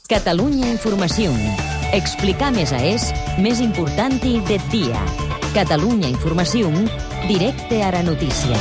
Catalunya Informació. Explicar més més important de dia. Catalunya Informació, directe a la notícia.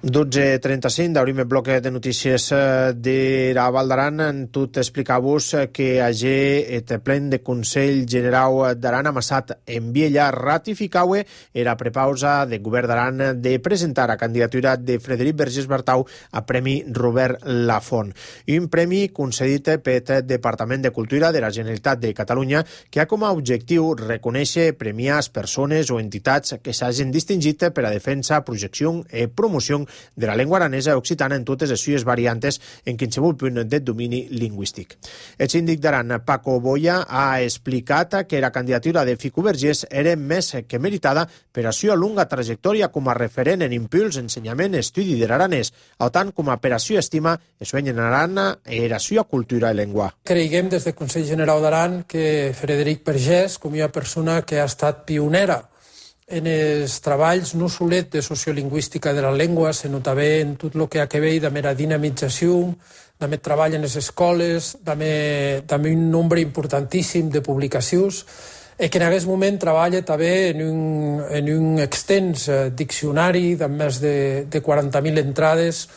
12:35, d'obrim el bloc de notícies de la Val d'Aran. Tot explicar-vos que agé et plen de Consell Generau d'Aran amassat en Viella ratificaue era prepausa del govern d'Aran de presentar a candidatura de Frederic Vergés Bartau a Premi Robert Lafont. Un premi concedit pel Departament de Cultura de la Generalitat de Catalunya que ha com a objectiu reconèixer, premiar persones o entitats que s'hagin distingit per a defensa, projecció i promoció de la llengua aranesa i occitana en totes les seues variantes en qualsevol punt de domini lingüístic. El síndic d'Aran, Paco Boya, ha explicat que la candidatura de Fico Vergés era més que meritada per a la seva longa trajectòria com a referent en impuls, ensenyament i estudi de l'aranès, tant com a per a la seva estima el sueño en Aran i la seva cultura i llengua. Creiem des del Consell Generau d'Aran que Frederic Vergés, com una persona que ha estat pionera en els treballs no solet de sociolingüística de la llengua, se nota bé en tot el que ha que veure amb la dinamització, també treball en les escoles, també un nombre importantíssim de publicacions, i que en aquest moment treballa també en un extens diccionari de més de 40.000 entrades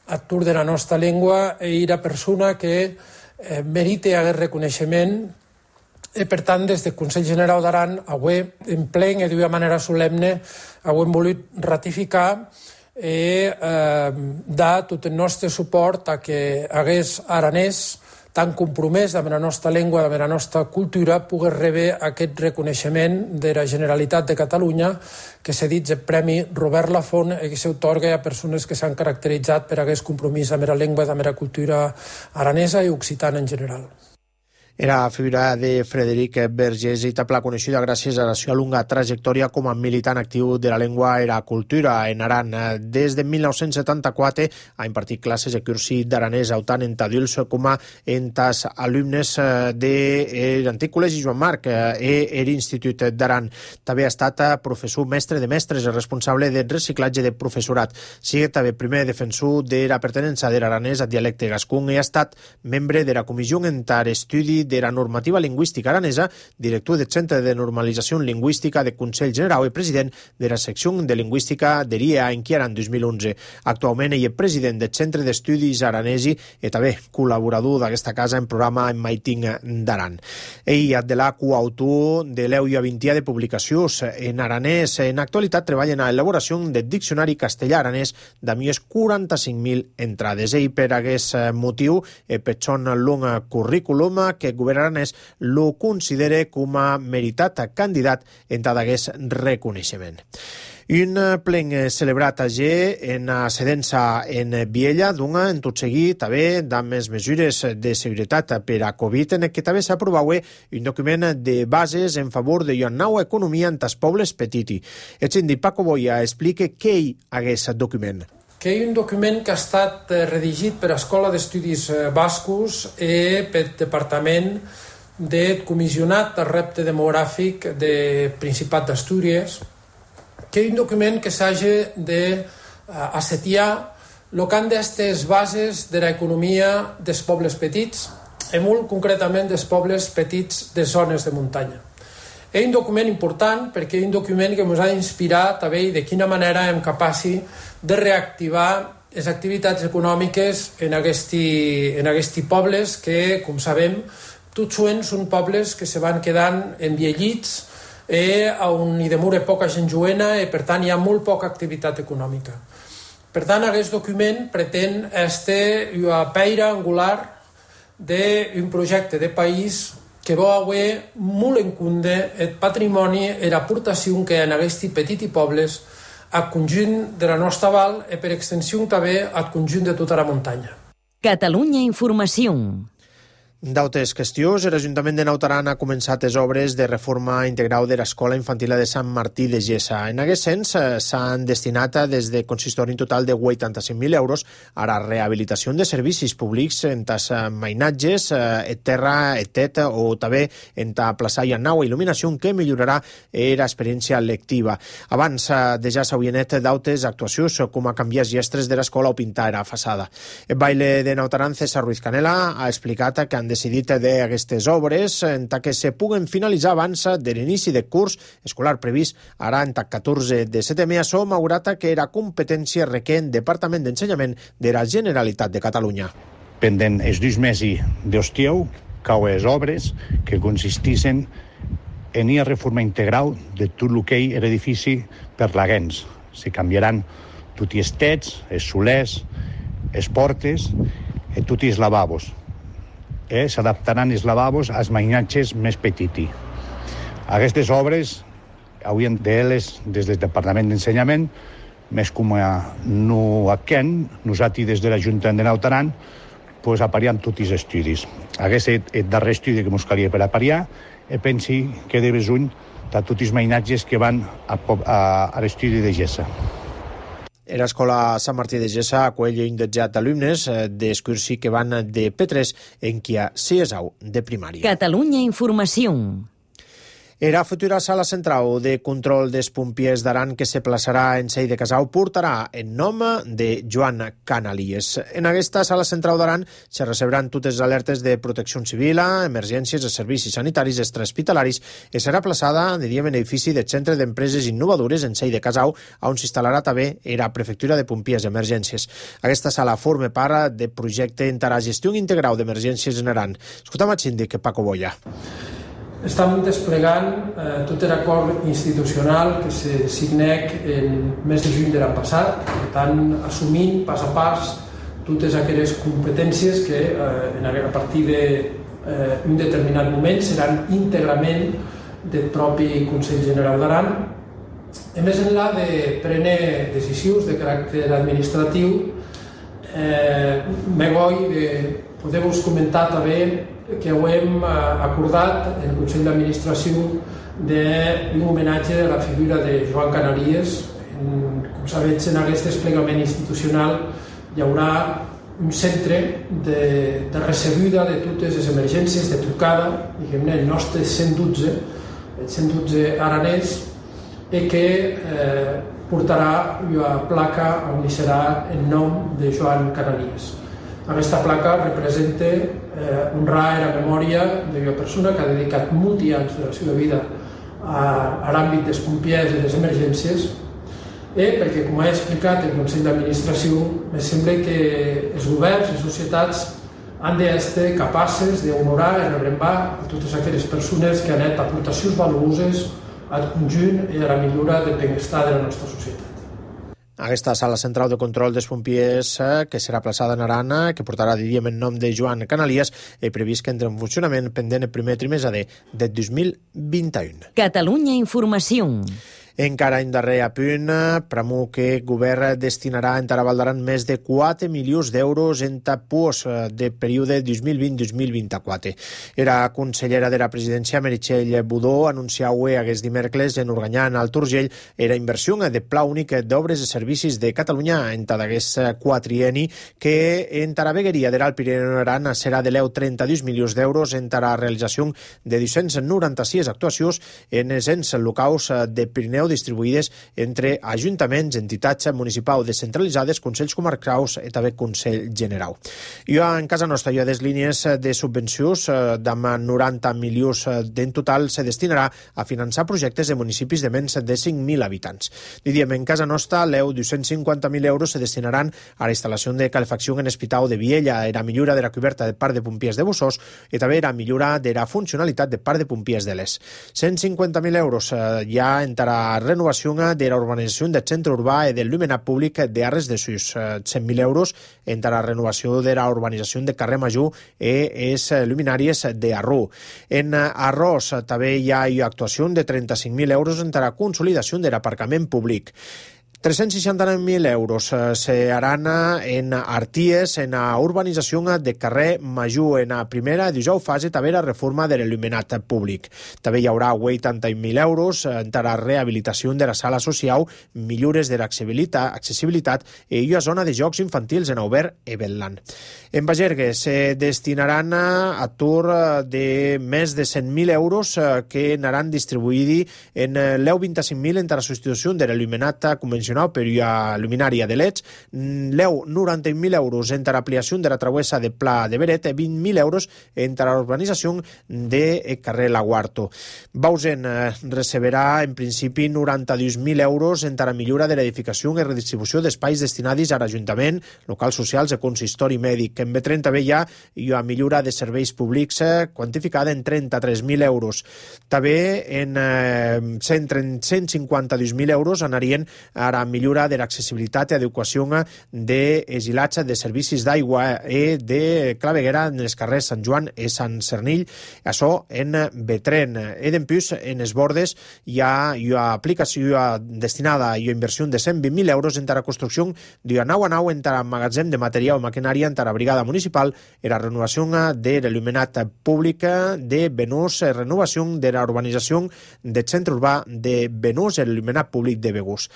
a tour de la nostra llengua, i era persona que merita aquest reconeixement. I, per tant, des del Consell Generau d'Aran, avui, en plen i d'una manera solemne, avui hem volut ratificar i dar tot el nostre suport a que hagués aranès tan compromès amb la nostra llengua, amb la nostra cultura, pogués rebre aquest reconeixement de la Generalitat de Catalunya, que s'ha dit el Premi Robert Lafont, i que s'atorga a persones que s'han caracteritzat per aquest compromís amb la llengua, amb la cultura aranesa i occitana en general. Era figura de Frederic Vergés i tapla coneixida gràcies a la seva longa trajectòria com a militant actiu de la llengua i la cultura en Aran. Des de 1974 ha impartit classes de cursi d'aranès tant en adults com en els alumnes de l'antic Col·legi Joan Marc i l'Institut d'Aran. També ha estat professor mestre de mestres i responsable del reciclatge de professorat. Sigue també primer defensor de la pertinença de l'aranès al dialecte gascun i ha estat membre de la Comissió Entar Estudi de la normativa lingüística aranesa, director del Centre de Normalització Lingüística del Consell Generau i president de la secció de lingüística de l'IEA en Quiaran 2011. Actualment ell és president del Centre d'Estudis Aranesi i també col·laborador d'aquesta casa en programa en Maiting d'Aran. Ell és de la coautor de l'EUIA 20 de publicacions en aranès. En actualitat treballa en l'elaboració del diccionari castellà-aranès de més 45.000 entrades. Ell per aquest motiu, per son long currículum, que el govern aranès lo considera com a meritat candidat en tot aquest reconeixement. Un plen celebrat allí en Sedensa en Viella, d'una en tot seguit també amb les mesures de seguretat per a Covid, en què també s'ha aprovat un document de bases en favor de una nova economia en els pobles petits. El síndic Paco Boya explica què hi hagués aquest document. Que hi ha un document que ha estat redigit per l'Escola d'Estudis Bascos i pel Departament del Comissionat del Repte Demogràfic del Principat d'Astúries, que hi ha un document que s'hagi d'assetiar el que han d'estar les bases de l'economia dels pobles petits, i molt concretament dels pobles petits de zones de muntanya. És un document important perquè és un document que ens ha d'inspirar també de quina manera hem capaços de reactivar les activitats econòmiques en aquests pobles que, com sabem, tots són pobles que se van quedant enviellits on hi demora poca gent joena i, per tant, hi ha molt poca activitat econòmica. Per tant, aquest document pretén ser una pedra angular d'un projecte de país que va haver molt en compte el patrimoni i l'aportació que hi ha en aquests petits pobles al conjunt de la nostra val i per extensió també al conjunt de tota la muntanya. Catalunya Informació. D'altres qüestions, l'Ajuntament de Naut Aran ha començat les obres de reforma integral de l'Escola Infantil de Sant Martí de Gessa. En aquest sens, s'han destinat des de consistori un total de 85.000 euros a la rehabilitació de servicis públics en tas mainatges, terra, tet, o també en ta plaça i nau il·luminació que millorarà l'experiència lectiva. Abans de ja s'havien net d'altres actuacions com a canviar gestres de l'escola o pintar la façada. El baile de Naut Aran, César Ruiz Canela, ha explicat que han decidit d'aquestes obres en que se puguen finalitzar abans de l'inici de curs escolar previst ara en 14 de setembre, malgrat que era competència requent Departament d'Ensenyament de la Generalitat de Catalunya. Pendent els 2 mesos d'estiu, cau les obres que consistissen en una reforma integral de tot el que és l'edifici per laguens. Se canviaran tots els tets, els solers, les portes i tots els lavabos. S'adaptaran els lavabos als mainatges més petits. Aquestes obres haurien d'elles des del Departament d'Ensenyament, més com no aquest, nosaltres des de l'Ajuntament de Naut Aran, apariem tots els estudis. Aquest és el darrer estudi que ens calia per apariar i pensi que de besuny de tots els mainatges que van a l'estudi de Gessa. L'escola Sant Martí de Gessa acull un dotze d'alumnes d'excursió que van de P3 en qui ha 6 de primària. Catalunya Informació. La futura sala central de control dels pompiers d'Aran que se plaçarà en Sei de Casau portarà el nom de Joan Canalies. En aquesta sala central d'Aran se receberan totes les alertes de protecció civil, emergències i servicis sanitaris extrahospitalaris i serà plaçada en l'edifici del Centre d'Empreses Innovadores en Sei de Casau, on s'instal·larà també la Prefectura de Pompiers i Emergències. Aquesta sala forma part del projecte per a la gestió integral d'emergències en Aran. Escoltem el síndic Paco Boya. Estem desplegant tot l'acord institucional que se signec el mes de juny de l'any passat, per tant, assumint pas a pas totes aquelles competències que a partir d'un determinat moment seran íntegrament del propi Consell General d'Aran. A més enllà de prendre decisions de caràcter administratiu, me vull poder-vos comentar també que ho hem acordat en el Consell d'Administració d'un homenatge a la figura de Joan Canalies. Com sabeu, en aquest desplegament institucional hi haurà un centre de recebuda de totes les emergències, de trucada, diguem-ne, el nostre 112, el 112 aranès, i que portarà una placa on hi serà el nom de Joan Canalies. Aquesta placa representa honrar la memòria d'una persona que ha dedicat molts anys de la seva vida a l'àmbit dels pompiers i les emergències, perquè, com he explicat el Consell d'Administració, em sembla que els governs i les societats han d'estar capaces d'honorar i rebrembar a totes aquelles persones que han fet aportacions valuoses al conjunt i a la millora del benestar de la nostra societat. Aquesta sala central de control dels pompiers que serà plaçada en Aran, que portarà, diríem, el nom de Joan Canalies, és previst que entre en funcionament pendent el primer trimestre de 2021. Catalunya Informació. Encara en darrer apunt, premu que el govern destinarà en Val d'Aran més de 4 milions d'euros en tapús de període 2020-2024. La consellera de la presidència, Meritxell Budó, anunciava aquest dimecres en Organyà, en Alt Urgell, la inversió de pla únic d'obres i servicis de Catalunya en aquest quatrienni, que en la vegueria de l'Alt Pirineu Aran serà de 32 milions d'euros en la realització de 296 actuacions en els ens locals de Pirineu distribuïdes entre ajuntaments, entitats municipals descentralitzades, consells comarcals i també Consell General. En casa nostra hi ha des línies de subvencions d'amb 90 milions en total se destinarà a finançar projectes de municipis de menys de 5.000 habitants. Diem, en casa nostra, 250.000 euros se destinaran a la instal·lació de calefacció en l'Hospital de Viella, a la millora de la coberta del Parc de Pompiers de Bossós i també a la millora de la funcionalitat del Parc de Pompiers de l'Es. 150.000 euros ja entrarà renovació de la urbanització del centre urbà i del llumenat públic de Arres de Sus. 100.000 euros entre la renovació de la urbanització de carrer Major i les luminàries d'Arrú. En Arròs també hi ha actuació de 35.000 euros entre la consolidació de l'aparcament públic. 369.000 euros seran en Arties, en a urbanització de carrer Major, en a primera i 19 fase també la reforma de l'il·luminat públic. També hi haurà 80.000 euros en la rehabilitació de la sala social, millores de l'accessibilitat i una zona de jocs infantils en obert Evetland. En Bagergue se destinaran a tour de més de 100.000 euros que anaran distribuïts en l'25.000 entre la substitució de l'il·luminat convencional per una luminària de LEDs, 90.000 euros entre l'ampliació de la travessa de Pla de Beret i 20.000 euros entre la urbanització de carrer Laguarto. Bausen receberà en principi 92.000 euros entre la millora de l'edificació i redistribució d'espais destinats a l'Ajuntament, locals socials i consistori mèdic. En B30 també hi ha una millora de serveis públics quantificada en 33.000 euros. També en 152.000 euros anarien a la millora de l'accessibilitat i adequació de exilatge de servicis d'aigua i de claveguera en els carrers Sant Joan i Sant Cernill, això en Betren. I d'empús, en els bordes hi ha una aplicació destinada a una inversió de 120.000 euros entre la construcció d'una nau a nau entre el magatzem de material o maquinària entre la brigada municipal i la renovació de l'il·luminat públic de Benús, renovació de la urbanització del centre urbà de Benús i l'il·luminat públic de Begús.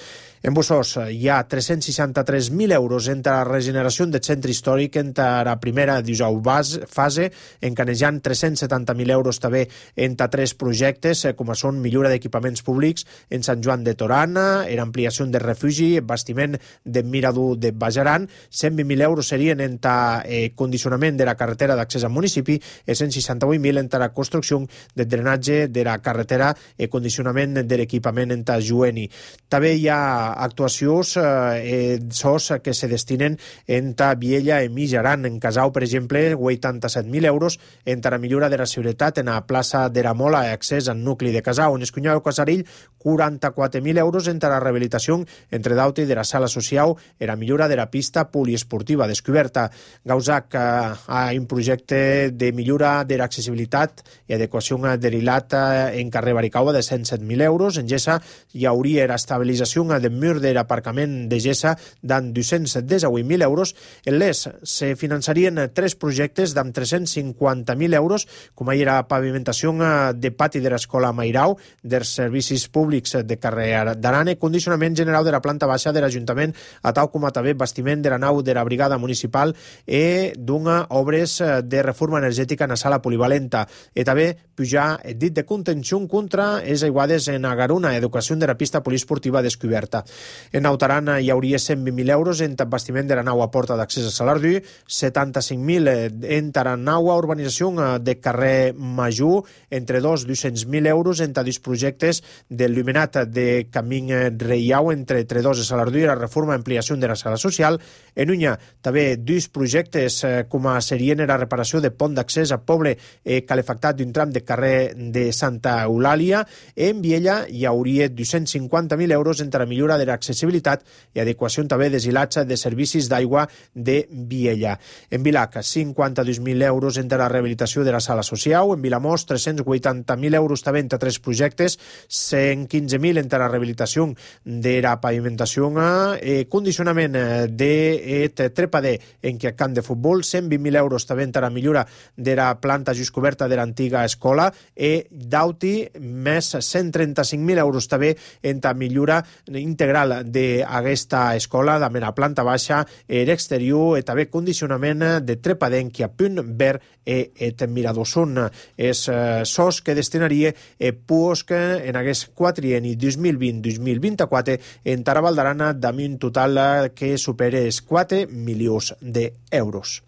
En Bussós hi ha 363.000 euros entre la regeneració del centre històric entre la primera i 19 fase, encanejant 370.000 euros també entre 3 projectes, com són millora d'equipaments públics en Sant Joan de Torana, ampliació de refugi, bastiment de Mirador de Bajaran, 120.000 euros serien entre condicionament de la carretera d'accés al municipi i 168.000 entre la construcció de drenatge de la carretera i condicionament de l'equipament entre Jueni. També hi ha actuacions SOS que se destinen entre Viella i Mijaran. En Casau, per exemple, 87.000 euros entre la millora de la seguretat en la plaça de la Mola i accés al nucli de Casau. En Escunyau i Casarill, 44.000 euros entre la rehabilitació entre Dauti de la sala social i la millora de la pista poliesportiva descoberta. Gausac ha un projecte de millora de l'accessibilitat i adequació de l'hilat en carrer Baricaua de 107.000 euros. En Gessa hi hauria l'estabilització del mur de l'aparcament de Gessa d'en 218.000 euros. En l'ES se finançarien 3 projectes d'amb 350.000 euros, com era la pavimentació de pati de l'escola Mairau, dels servicis públics de carrer d'Arane, condicionament general de la planta baixa de l'Ajuntament, a tal com també bastiment de la nau de la brigada municipal i d'una obres de reforma energètica en la sala polivalenta. I també pujar el dit de contenció contra les aiguades en Agaruna, educació de la pista poliesportiva descoberta. En Nautaran hi hauria 120.000 euros en bastiment de la nau a porta d'accés a Salardú, 75.000 en la nau a urbanització de carrer Major, entre 200.000 euros en dos projectes del l'il·luminat de Camí Reiau entre Tredós i Salardú i la reforma i ampliació de la sala social. En Unya també 2 projectes com serien la reparació de pont d'accés a poble calefactat d'un tram de carrer de Santa Eulàlia. En Viella hi hauria 250.000 euros entre la millora de l'accessibilitat i adequació també d'esilatge de servicis d'aigua de Viella. En Vilac, 52.000 euros entre la rehabilitació de la sala social. En Vilamós, 380.000 euros també entre 3 projectes, 115.000 entre la rehabilitació de la pavimentació i condicionament de trepader en què camp de futbol, 120.000 euros també entre la millora de la planta just coberta de l'antiga escola i d'Auti, més 135.000 euros també entre la millora integral d'aquesta escola, també la planta baixa, l'exterior i també condicionament de trepadenc a punt verd i mirador. Són els SOS que destinaria PUOSC en aquest quatrienni 2020-2024 en Taravaldarana amb un total que supera els 4 milions d'euros.